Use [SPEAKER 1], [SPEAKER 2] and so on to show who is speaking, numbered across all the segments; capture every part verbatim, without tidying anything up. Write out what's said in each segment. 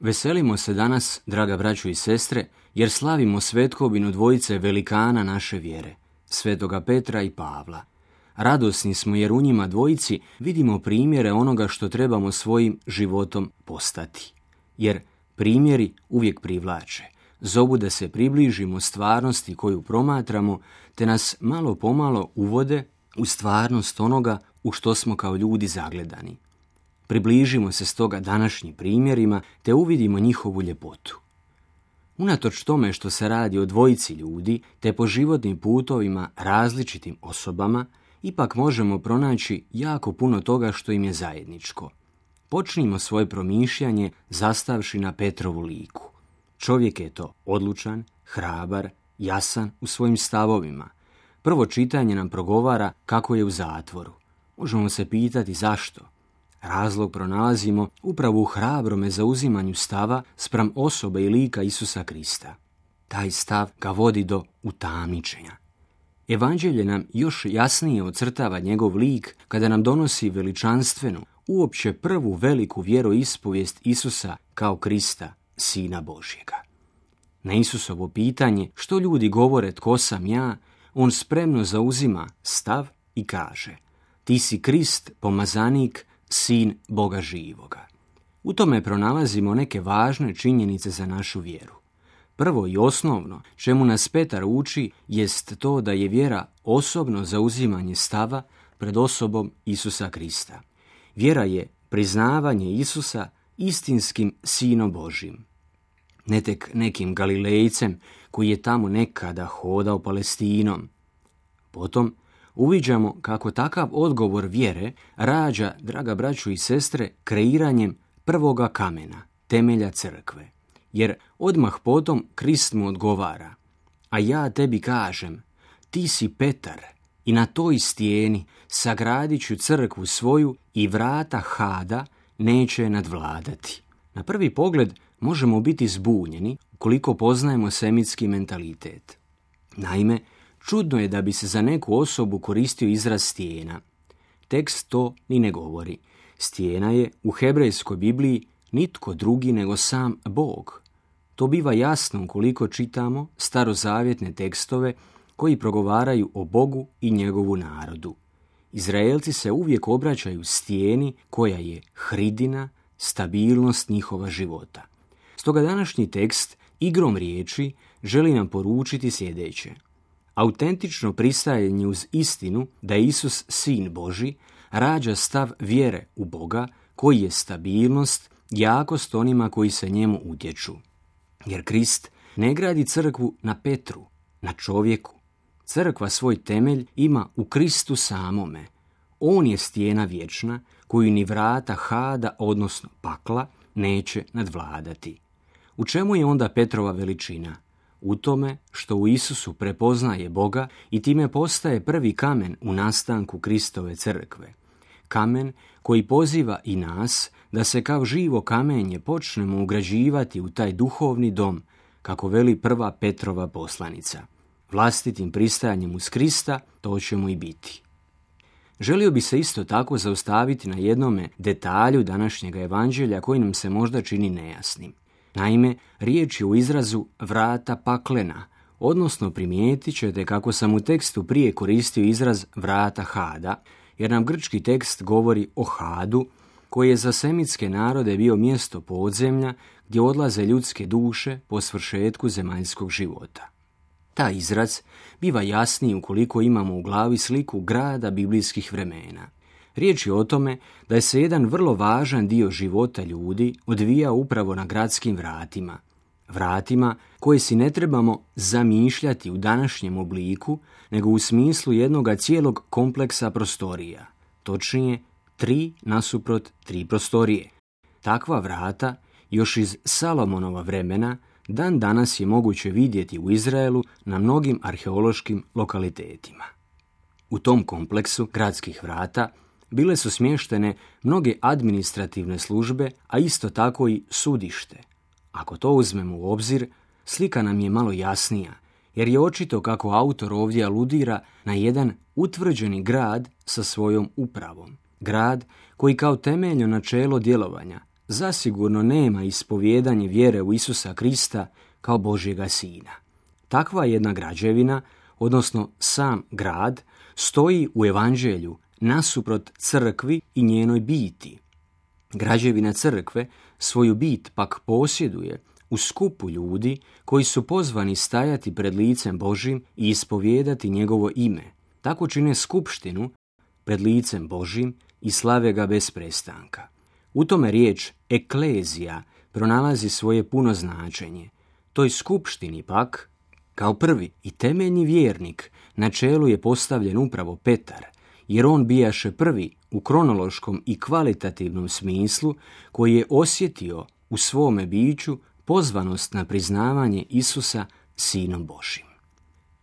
[SPEAKER 1] Veselimo se danas, draga braćo i sestre, jer slavimo svetkovinu dvojice velikana naše vjere, svetoga Petra i Pavla. Radosni smo jer u njima dvojici vidimo primjere onoga što trebamo svojim životom postati. Jer primjeri uvijek privlače, zovu da se približimo stvarnosti koju promatramo, te nas malo pomalo uvode u stvarnost onoga u što smo kao ljudi zagledani. Približimo se stoga današnjim primjerima, te uvidimo njihovu ljepotu. Unatoč tome što se radi o dvojici ljudi, te po životnim putovima različitim osobama, ipak možemo pronaći jako puno toga što im je zajedničko. Počnimo svoje promišljanje zastavši na Petrovu liku. Čovjek je to odlučan, hrabar, jasan u svojim stavovima. Prvo čitanje nam progovara kako je u zatvoru. Možemo se pitati zašto. Razlog pronalazimo upravo u hrabrome zauzimanju stava spram osobe i lika Isusa Krista. Taj stav ga vodi do utamničenja. Evanđelje nam još jasnije ocrtava njegov lik kada nam donosi veličanstvenu, uopće prvu veliku vjeroispovijest Isusa kao Krista, Sina Božjega. Na Isusovo pitanje što ljudi govore tko sam ja, on spremno zauzima stav i kaže: ti si Krist, pomazanik, Sin Boga živoga. U tome pronalazimo neke važne činjenice za našu vjeru. Prvo i osnovno čemu nas Petar uči jest to da je vjera osobno zauzimanje stava pred osobom Isusa Krista. Vjera je priznavanje Isusa istinskim Sinom Božjim. Ne tek nekim Galilejcem koji je tamo nekada hodao Palestinom. Potom uviđamo kako takav odgovor vjere rađa, draga braćo i sestre, kreiranjem prvoga kamena, temelja crkve. Jer odmah potom Krist mu odgovara: a ja tebi kažem, ti si Petar i na toj stijeni sagradit ću crkvu svoju i vrata Hada neće nadvladati. Na prvi pogled možemo biti zbunjeni ukoliko poznajemo semitski mentalitet. Naime, čudno je da bi se za neku osobu koristio izraz stijena. Tekst to ni ne govori. Stijena je u hebrejskoj Bibliji nitko drugi nego sam Bog. To biva jasno ukoliko čitamo starozavjetne tekstove koji progovaraju o Bogu i njegovu narodu. Izraelci se uvijek obraćaju stijeni koja je hridina, stabilnost njihova života. Stoga današnji tekst igrom riječi želi nam poručiti sljedeće. Autentično pristajanje uz istinu da je Isus Sin Božji rađa stav vjere u Boga koji je stabilnost, jakost onima koji se njemu utječu. Jer Krist ne gradi crkvu na Petru, na čovjeku. Crkva svoj temelj ima u Kristu samome. On je stijena vječna koju ni vrata Hada, odnosno pakla, neće nadvladati. U čemu je onda Petrova veličina? U tome što u Isusu prepoznaje Boga i time postaje prvi kamen u nastanku Kristove crkve. Kamen koji poziva i nas da se kao živo kamenje počnemo ugrađivati u taj duhovni dom, kako veli prva Petrova poslanica. Vlastitim pristajanjem uz Krista to ćemo i biti. Želio bi se isto tako zaustaviti na jednome detalju današnjega evanđelja koji nam se možda čini nejasnim. Naime, riječ je u izrazu vrata paklena, odnosno primijetit ćete kako sam u tekstu prije koristio izraz vrata Hada, jer nam grčki tekst govori o Hadu, koji je za semitske narode bio mjesto podzemlja gdje odlaze ljudske duše po svršetku zemaljskog života. Ta izraz biva jasniji ukoliko imamo u glavi sliku grada biblijskih vremena. Riječ je o tome da je se jedan vrlo važan dio života ljudi odvijao upravo na gradskim vratima. Vratima koje si ne trebamo zamišljati u današnjem obliku, nego u smislu jednoga cijelog kompleksa prostorija. Točnije, tri nasuprot tri prostorije. Takva vrata, još iz Salomonova vremena, dan danas je moguće vidjeti u Izraelu na mnogim arheološkim lokalitetima. U tom kompleksu gradskih vrata bile su smještene mnoge administrativne službe, a isto tako i sudište. Ako to uzmemo u obzir, slika nam je malo jasnija, jer je očito kako autor ovdje aludira na jedan utvrđeni grad sa svojom upravom. Grad koji kao temeljno načelo djelovanja zasigurno nema ispovijedanje vjere u Isusa Krista kao Božjega Sina. Takva jedna građevina, odnosno sam grad, stoji u evanđelju nasuprot crkvi i njenoj biti. Građevina crkve svoju bit pak posjeduje u skupu ljudi koji su pozvani stajati pred licem Božjim i ispovijedati njegovo ime. Tako čine skupštinu pred licem Božjim i slave ga bez prestanka. U tome riječ eklezija pronalazi svoje puno značenje. Toj skupštini pak, kao prvi i temeljni vjernik, na čelu je postavljen upravo Petar, jer on bijaše prvi u kronološkom i kvalitativnom smislu koji je osjetio u svome biću pozvanost na priznavanje Isusa Sinom Božjim.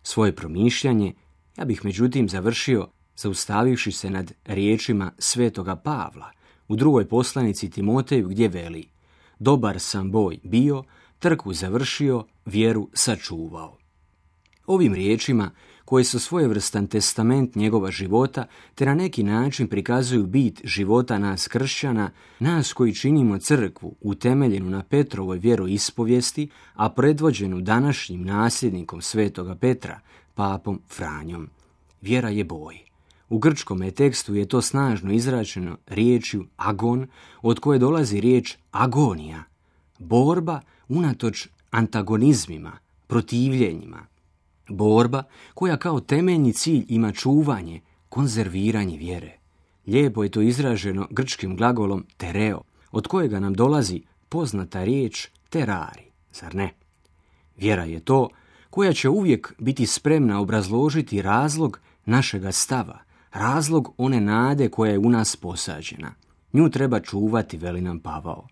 [SPEAKER 1] Svoje promišljanje ja bih međutim završio zaustavivši se nad riječima svetoga Pavla u drugoj poslanici Timoteju gdje veli: dobar sam boj bio, trku završio, vjeru sačuvao. Ovim riječima, koje su svojevrstan testament njegova života, te na neki način prikazuju bit života nas kršćana, nas koji činimo crkvu utemeljenu na Petrovoj vjeroispovijesti, a predvođenu današnjim nasljednikom svetoga Petra, papom Franjom. Vjera je boj. U grčkom tekstu je to snažno izračeno riječju agon, od koje dolazi riječ agonija, borba unatoč antagonizmima, protivljenjima. Borba koja kao temeljni cilj ima čuvanje, konzerviranje vjere. Lijepo je to izraženo grčkim glagolom tereo, od kojega nam dolazi poznata riječ terari, zar ne? Vjera je to koja će uvijek biti spremna obrazložiti razlog našega stava, razlog one nade koja je u nas posađena. Nju treba čuvati, veli nam Pavao.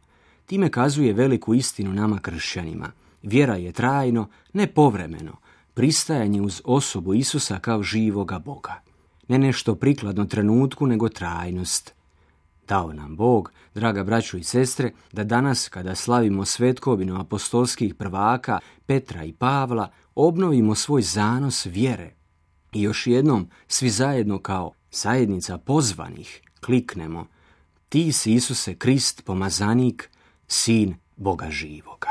[SPEAKER 1] Time kazuje veliku istinu nama kršćanima. Vjera je trajno, ne povremeno, pristajanje uz osobu Isusa kao živoga Boga. Ne nešto prikladno trenutku, nego trajnost. Dao nam Bog, draga braćo i sestre, da danas, kada slavimo svetkovinu apostolskih prvaka Petra i Pavla, obnovimo svoj zanos vjere. I još jednom, svi zajedno kao zajednica pozvanih, kliknemo: ti si, Isuse Krist, pomazanik, Sin Boga živoga.